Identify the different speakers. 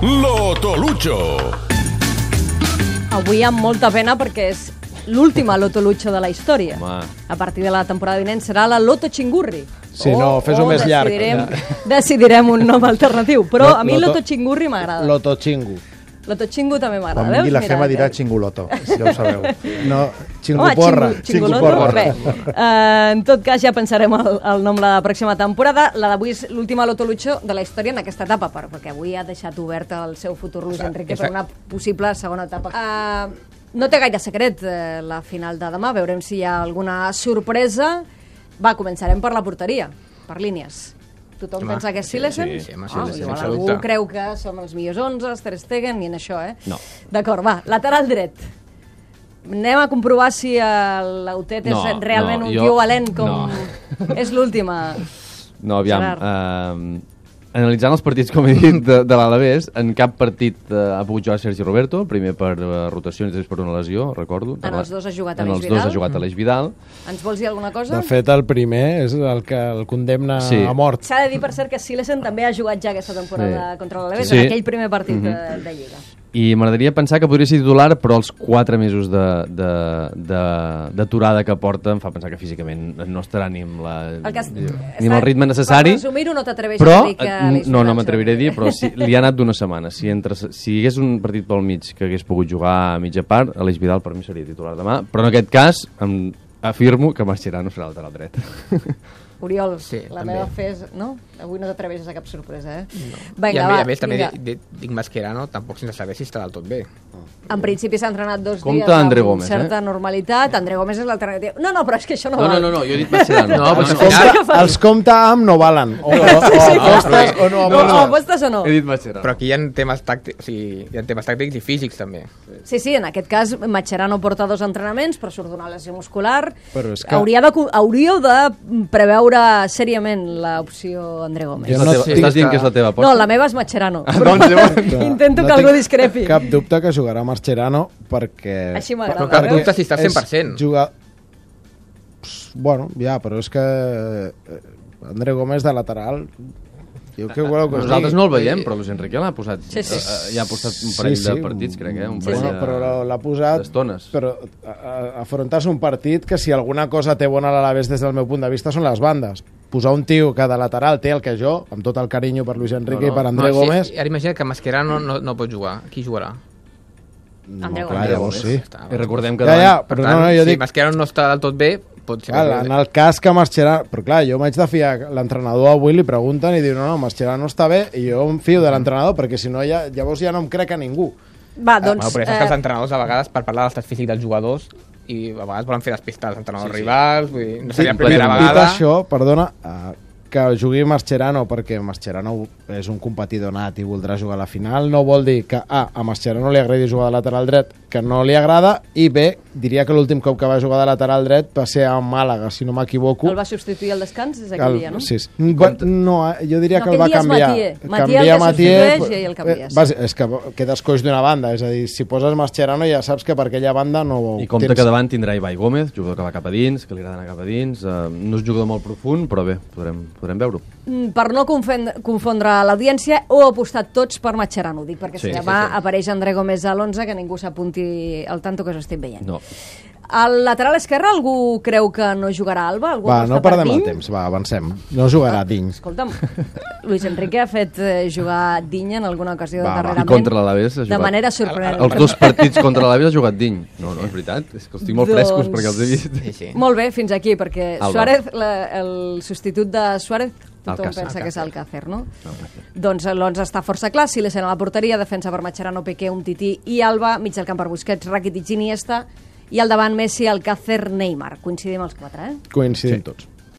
Speaker 1: Lotolucho.
Speaker 2: Avui amb molta pena perquè és l'última Lotolucho de la història.
Speaker 3: Home.
Speaker 2: A partir de la temporada vinent serà la Loto Chingurri.
Speaker 4: Sí, no, fes-ho més llarg.
Speaker 2: Decidirem un nom alternatiu, però a mi Loto Chingurri m'agrada.
Speaker 4: Loto Chingu.
Speaker 2: Loto Chingu també m'agrada.
Speaker 5: Quan vingui la Gemma dirà Xinguloto, si ja ho sabeu.
Speaker 4: No, Xinguporra.
Speaker 2: Xinguloto. Bé, en tot cas ja pensarem el nom la pròxima temporada. La d'avui és l'última Lotolucho de la història en aquesta etapa, perquè avui ha deixat obert el seu futur Luis Enrique per una possible segona etapa. No té gaire secret la final de demà, veurem si hi ha alguna sorpresa. Va, començarem per la porteria, per línies. Tothom pensa que és Silesen?
Speaker 6: Sí,
Speaker 2: Igual algú creu que som els millors 11, Ter Stegen, i en això,
Speaker 3: No.
Speaker 2: D'acord, va, lateral dret. Anem a comprovar si l'Autet és realment un tio valent com és l'última.
Speaker 3: No, aviam. Analitzant els partits, com he dit, de l'Alavés, en cap partit ha pogut jugar Sergi Roberto, primer per rotacions i després per una lesió, recordo.
Speaker 2: En els dos ha jugat Aleix Vidal.
Speaker 3: En els dos ha jugat Aleix Vidal.
Speaker 2: Ens vols dir alguna cosa?
Speaker 4: De fet, el primer és el que el condemna a mort.
Speaker 2: S'ha de dir, per cert, que Silesen també ha jugat ja aquesta temporada contra l'Alavés, en aquell primer partit de Lliga.
Speaker 3: I m'agradaria pensar que podria ser titular, però els 4 mesos d'aturada que porta em fa pensar que físicament no estarà ni amb el ritme necessari.
Speaker 2: Per resumir-ho, no t'atreveixes a dir que...
Speaker 3: No m'atreviré a dir, però li ha anat d'una setmana. Si hi hagués un partit pel mig que hagués pogut jugar a mitja part, Aleix Vidal per mi seria titular demà, però en aquest cas afirmo que Mascherano serà lateral dret.
Speaker 2: Oriol, la meva fes... No? Avui no t'atreveixes a cap sorpresa,
Speaker 6: No.
Speaker 2: Vinga,
Speaker 6: I a més també dic Mascherano, tampoc sense saber si està del tot bé.
Speaker 2: En principi s'ha entrenat 2 dies
Speaker 3: amb
Speaker 2: certa normalitat. André Gómez és l'alternativa. No, però és que això no val.
Speaker 3: No, jo he dit Mascherano.
Speaker 4: Els compta amb no valen. O
Speaker 2: apostes o no.
Speaker 3: He dit Mascherano.
Speaker 6: Però aquí hi ha temes tàctics i físics també.
Speaker 2: Sí, en aquest cas Mascherano porta 2 entrenaments, però surt d'una lesió muscular. Hauríeu de preveure seriament l'opció André Gómez.
Speaker 3: Estàs dient que és la teva aposta?
Speaker 2: No, la meva és Mascherano. Intento que algú discrepi.
Speaker 4: Cap dubte que jugarà Mascherano perquè...
Speaker 2: Així m'agrada.
Speaker 6: Però cap dubte si està 100%.
Speaker 4: Bueno, ja, però és que André Gómez de lateral...
Speaker 3: Nosaltres no el veiem, però Luis Enrique l'ha posat. Ja ha posat un parell de partits, crec, un parell
Speaker 4: però l'ha posat
Speaker 3: d'estones.
Speaker 4: Però afrontar-se un partit que si alguna cosa té bona a l'Alavés des del meu punt de vista són les bandes. Posar un tio que de lateral té el que jo, amb tot el carinyo per Luis Enrique i per André Gómez...
Speaker 6: Ara imagina que Mascherano no pot jugar. Qui jugarà?
Speaker 2: André
Speaker 4: Gómez. Llavors sí.
Speaker 3: I recordem que
Speaker 6: si Mascherano no està del tot bé, pot ser que...
Speaker 4: En el cas que Mascherano... Però clar, jo m'haig de fiar, l'entrenador avui li pregunten i diu no, Mascherano està bé, i jo em fio de l'entrenador perquè si no llavors ja no em crec a ningú.
Speaker 2: Va, doncs...
Speaker 6: Però és que els entrenadors a vegades per parlar de l'estat físic dels jugadors i a vegades volen fer despistar els entrenadors rivals, vull dir, no seria la primera vegada.
Speaker 4: Dit això, perdona, que jugui Mascherano perquè Mascherano és un competidor nat i voldrà jugar a la final, no vol dir que a Mascherano li agradi jugar de lateral dret, que no li agrada, i bé, diria que l'últim cop que va jugar de lateral dret va ser a Màlaga, si no m'equivoco.
Speaker 2: El va substituir al descans, és aquell dia, no?
Speaker 4: Sí. No, jo diria que el va canviar.
Speaker 2: Matia el substitueix i el canvies.
Speaker 4: És que quedes coix d'una banda, és a dir, si poses Mascherano ja saps que per aquella banda no...
Speaker 3: I compte que davant tindrà Ibai Gómez, jugador que va cap a dins, que li agrada anar cap a dins, no és jugador molt profund, però bé, podrem veure-ho.
Speaker 2: Per no confondre l'audiència, ho heu apostat tots per Mascherano, dic, perquè si demà apareix André Gómez a l'11, que ningú s'apunti al tanto que us estic veient.
Speaker 3: No.
Speaker 2: Al lateral esquerre algú creu que no jugarà Alba?
Speaker 4: No perdem el temps, avancem. No jugarà Digne.
Speaker 2: Escolta'm, Luis Enrique ha fet jugar Digne en alguna ocasió darrerament.
Speaker 3: I contra l'Alavés ha jugat.
Speaker 2: De manera sorprenent.
Speaker 3: Els 2 partits contra l'Alavés ha jugat Digne. No, és veritat. És que els tinc molt frescos perquè els he vist.
Speaker 6: Sí.
Speaker 2: Molt bé, fins aquí, perquè Suárez, el substitut de Suárez, tothom pensa que és Alcácer, no? Doncs l'11 està força clar. Silesen a la porteria, defensa per Mascherano, Piqué, Umtiti i Alba, mig del camp per Busquets, Rakitic i Iniesta, i al davant Messi, Alcácer, Neymar. Coincidim els 4,
Speaker 4: Coincidim tots.